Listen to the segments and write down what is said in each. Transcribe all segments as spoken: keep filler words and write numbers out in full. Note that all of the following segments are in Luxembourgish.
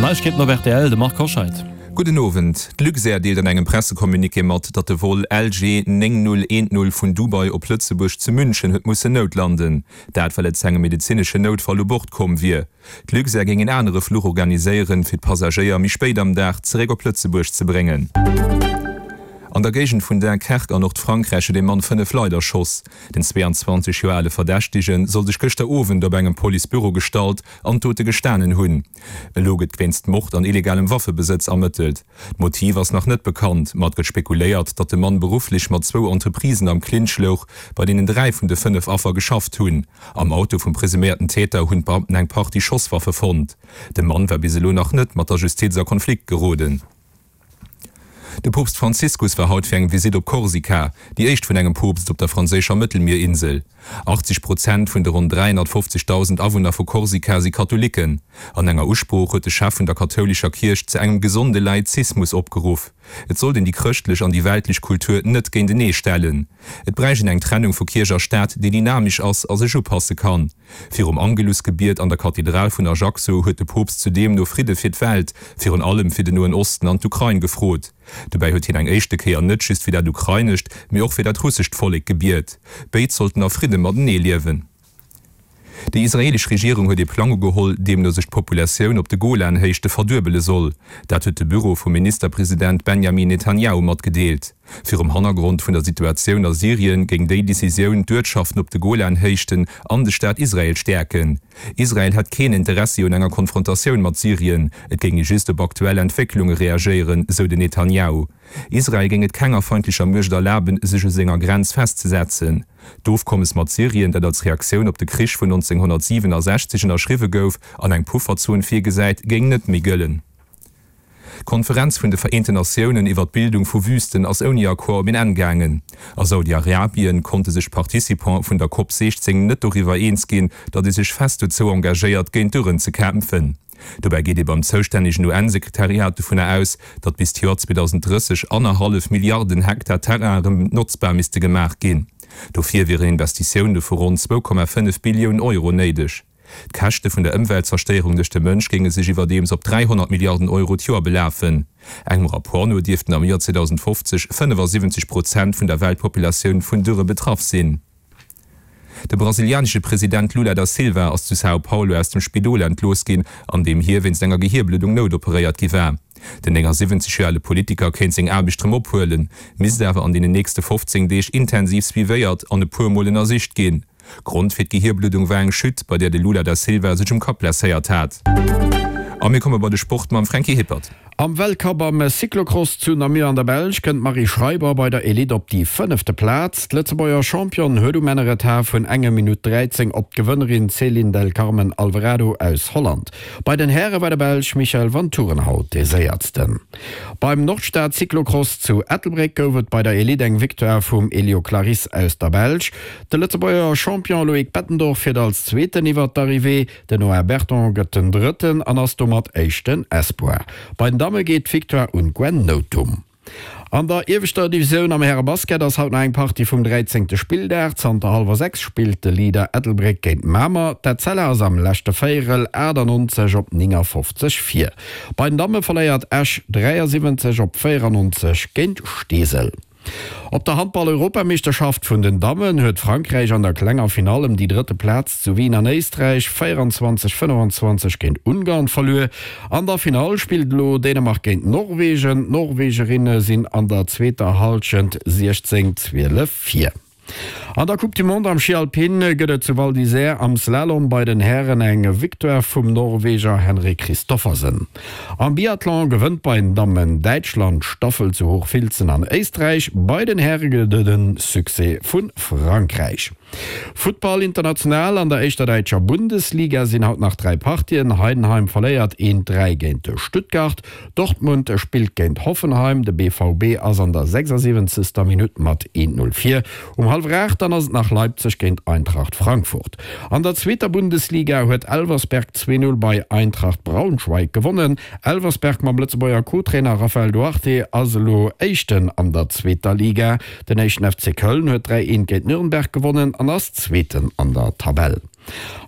Neiegkeeten op rtl, de Marc Hoscheid. Gudden Owend. D'Luxair deelt an engem Pressecommuniqué mat, datt de Vol L G néng null eent null vun Dubai op Lëtzebuerg zu München huet mussen noutlanden. Dat well et zu engem medezineschen Noutfall u Bord komm wier. D'Luxair géing en anere Fluch organiséieren, fir d'Passagéier méi spéit am Dag zeréck op Lëtzebuerg ze bréngen. An der Géigend vun Dunkerque an Nordfrankräich huet ee Mann fënnef Leit erschoss. Den zweeanzwanzeg Joer ale Verdächtege soll sech gëschter Owend op engem Policebüro gestallt an d'Dote gestanen hunn. Elo gëtt wéinst Mord an illegalem Waffebesëtz ermëttelt. D'Motiv ass nach net bekannt, ma et gëtt spekuléiert, datt de Mann berufflech mat zwou Entreprisen am Clinch louch, bei deenen dräi vun de fënnef Affer geschafft hunn. Am Auto vum presuméierten Täter hunn d'Beamten eng Partie Schosswaffe fonnt. De Mann war bis elo nach net mat der Justiz a Konflikt geroden. De Poopst Franziskus war haut fir eng Visitt op Korsika, déi éischt vun engem Poopst op der franséischer Mëttelmierinsel. achtzeg Prozent vun de ronn dräihonnertfofzegdausend Awunner vu Korsika si Katholicken. An enger Usprooch huet de Chef vun der kathoulescher Kierch zu engem gesonde Laizismus opgeruff. Et sollt een déi chrëschtlech an déi weltlech Kultur net géintenee stellen. Et bräicht een eng Trennung vu Kierch a Staat, déi dynamesch ass a sech upasse kann. Virum Angelusgebiet an der Kathedral vun Ajaccio huet de Poopst zudeem no Fridde fir d'Welt, virun allem fir den Noen Osten an d'Ukrain gefrot. Dobäi huet hien eng éischte Kéier net just fir dat ukrainescht, mee och fir dat russescht Vollek gebiet. Béid sollten a Fridde matenee liewen. Déi israeelesch Regierung huet ee Plang ugeholl, deemno sech d'Populatioun op de Golan-Héichte verduebele soll. Dat huet de Büro vum Ministerpresident Benjamin Netanjahu matgedeelt. Virum Hannergrond vun der Situatioun a Syrien géing déi Decisioun d'Uertschaften op de Golan-Héichten an de Staat Israel stäerken. Israel hätt keen Interessi un enger Konfrontatioun mat Syrien, et géing ee just op aktuell Entwécklunge reagéieren, sou den Netanjahu. Israel géing et kenger feindlecher Muecht erlaben, sech u senger Grenz festzesetzen. D'Ofkommes mat Syrien, dat als Reaktioun op de Krich vun nonzénghonnertsiwenasechzeg ënnerschriwwe gouf an eng Pufferzon virgesäit, géing net méi gëllen. D'Konferenz vun de Vereenten Natiounen iwwer d'Bildung vu Wüsten ass ouni Accord op een Enn gaangen. A Saudi-Arabien konnte sech d'Participante vun der Cop siechzéng net doriwwer eens ginn, datt ee sech fest dozou engagéiert, géint d'Dürren ze kämpfen. Dobäi geet ee beim zoustännegen U N-Sekretariat dovunner aus, datt bis d'Joer zweedausenddrësseg annerhallef Milliarden Hektar Terrain erëm notzbar misste gemaach ginn. Dofir wieren Investitioune vu ronn zwou Komma fënnef Billioun Euro néideg. D'Käschte vun der Ëmweltzerstéierung duerch de Mënsch géinge sech iwwerdeems op dräihonnert Milliarden Euro d'Joer belafen. Engem Rapport no dierften am Joer zweedausendfofzeg fënnefasiwwenzeg Prozent vun der Weltpopulatioun vun Dürre betraff sinn. De brasilianesche President Lula da Silva ass zu São Paulo aus dem Spidol entlooss ginn, an deem hie wéinst enger Gehierbluddung noutoperéiert gi war. Den néngasiwwenzeg Joer ale Politiker kéint seng Aarbecht rëm ophuelen, misst awer an deenen nächste fofzéng Deeg intensiv suivéiert an e puer Mol ënnersicht ginn. Grond fir d'Gehierbluddung war eng Chute, bei där de Lula da Silva sech um Kapp blesséiert hat. A mir komme bei de Sport mam Franky Hippert. Am Weltcup am Cyclocross zu Namur an der Belsch kënnt d'Marie Schreiber bei der Elite op déi fënnefte Plaz. D'Lëtzebuerger Championne huet um Enn e Retard vun enger Minutt dräizéng op d'Gewënnerin Ceylin del Carmen Alvarado aus Holland. Bei den Häre war de Belsch Michael Vanthourenhout dee Séiersten. Beim Nordstad Cyclocross zu Ettelbréck gouf et bei der Elite eng Victoire vum Elio Clarysse aus der Belsch. De Lëtzebuerger Champion Loïc Bettendorf fiert als Zweeten iwwer d'Arrivée, den Noah Berton gëtt den Drëtten an ass domat éischten Espoir. Bei den Damme geet d'Victoire un d'Gwen Nothum. An der ieweschter Divisioun am Härebasket ass haut nach eng Partie vum dräizéngte Spilldag. Zanter hallwer sechs spillt de Leader Ettelbréck géint Mamer. D'Etzella ass am leschte Véierel achtannonzeg op néngafofzeg vir. Bei den Damme verléiert Esch dräiasiwwenzeg op véierannonzeg géint Steesel. Op der Handball-Europameeschterschaft vun den Dammen huet Frankräich an der klenger Finall ëm déi drëtte Plaz zu Wien an Éisträich véierundzwanzeg, fënnefanzwanzeg géint Ungarn verluer. An der Finall spillt elo Dänemark géint Norwegen. D'Norwegerinne sinn an der zweeter Hallschent siechzéng, zwielef vir. An der Coupe du Monde am Schi Alpin gëtt et zu Val d'Isère am Slalom bei den Hären eng Victoire vum Norweger Henrik Kristoffersen. Am Biathlon gewënnt bei den Dammen Däitschland d'Staffel zu Hochfilzen an Éisträich, bei den Häre gëtt et e Succès vu Frankräich. Futtball international, An der éischter däitscher Bundesliga sinn haut nach dräi Partien, Heidenheim verléiert eent, dräi géint Stuttgart, Dortmund spillt géint Hoffenheim, de B V B ass an der sechsasiwwenzegster Minutt mat eent, null vir. Um hallwer aacht dann ass et nach Leipzig géint Eintracht Frankfurt. An der zweeter Bundesliga huet Elversberg zwee, null bei Eintracht Braunschweig gewonnen. Elversberg mam Lëtzebuerger Co-Trainer Raphael Duarte ass elo Éischten an der zweeter Liga. Den éischten F C Köln huet dräi, eent géint Nürnberg gewonnen an ass Zweeten an der Tabell.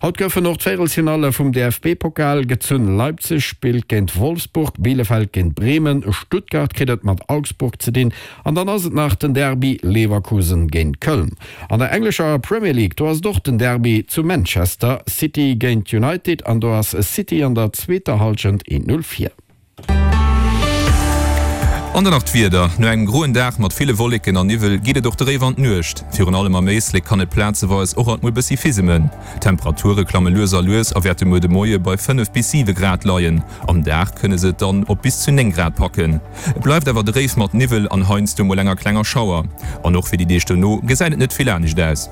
Haut goufen och d'Véierelsfinalle vum D F B-Pokal gezunn. Leipzig spillt géint Wolfsburg, Bielefeld géint Bremen, Stuttgart kritt et mat Augsburg ze dinn an dann ass et nach den Derby Leverkusen géint Köln. An der englescher Premier League do ass et och den Derby zu Manchester, City géint United an do ass City an der zweeter Hallschent een Null vir. An dann nach d'Wieder, No engem groen Dag mat ville Wolleken an Niwwel geet et och dréif an d'Nuecht. Virun allem am Éislek kann et plazeweis och alt mol bëssi fisemen. D'Temperature klamme lues a lues a wäerte muer de Moie bei fënnef bis siwe Grad leien. Am Dag kënne se et dann op bis zu néng Grad packen. Et bleift awer dréif mat Niwwel an heiansdo mol enger klenger Schauer. An och fir déi Deeg dono gesäit et net vill anescht aus.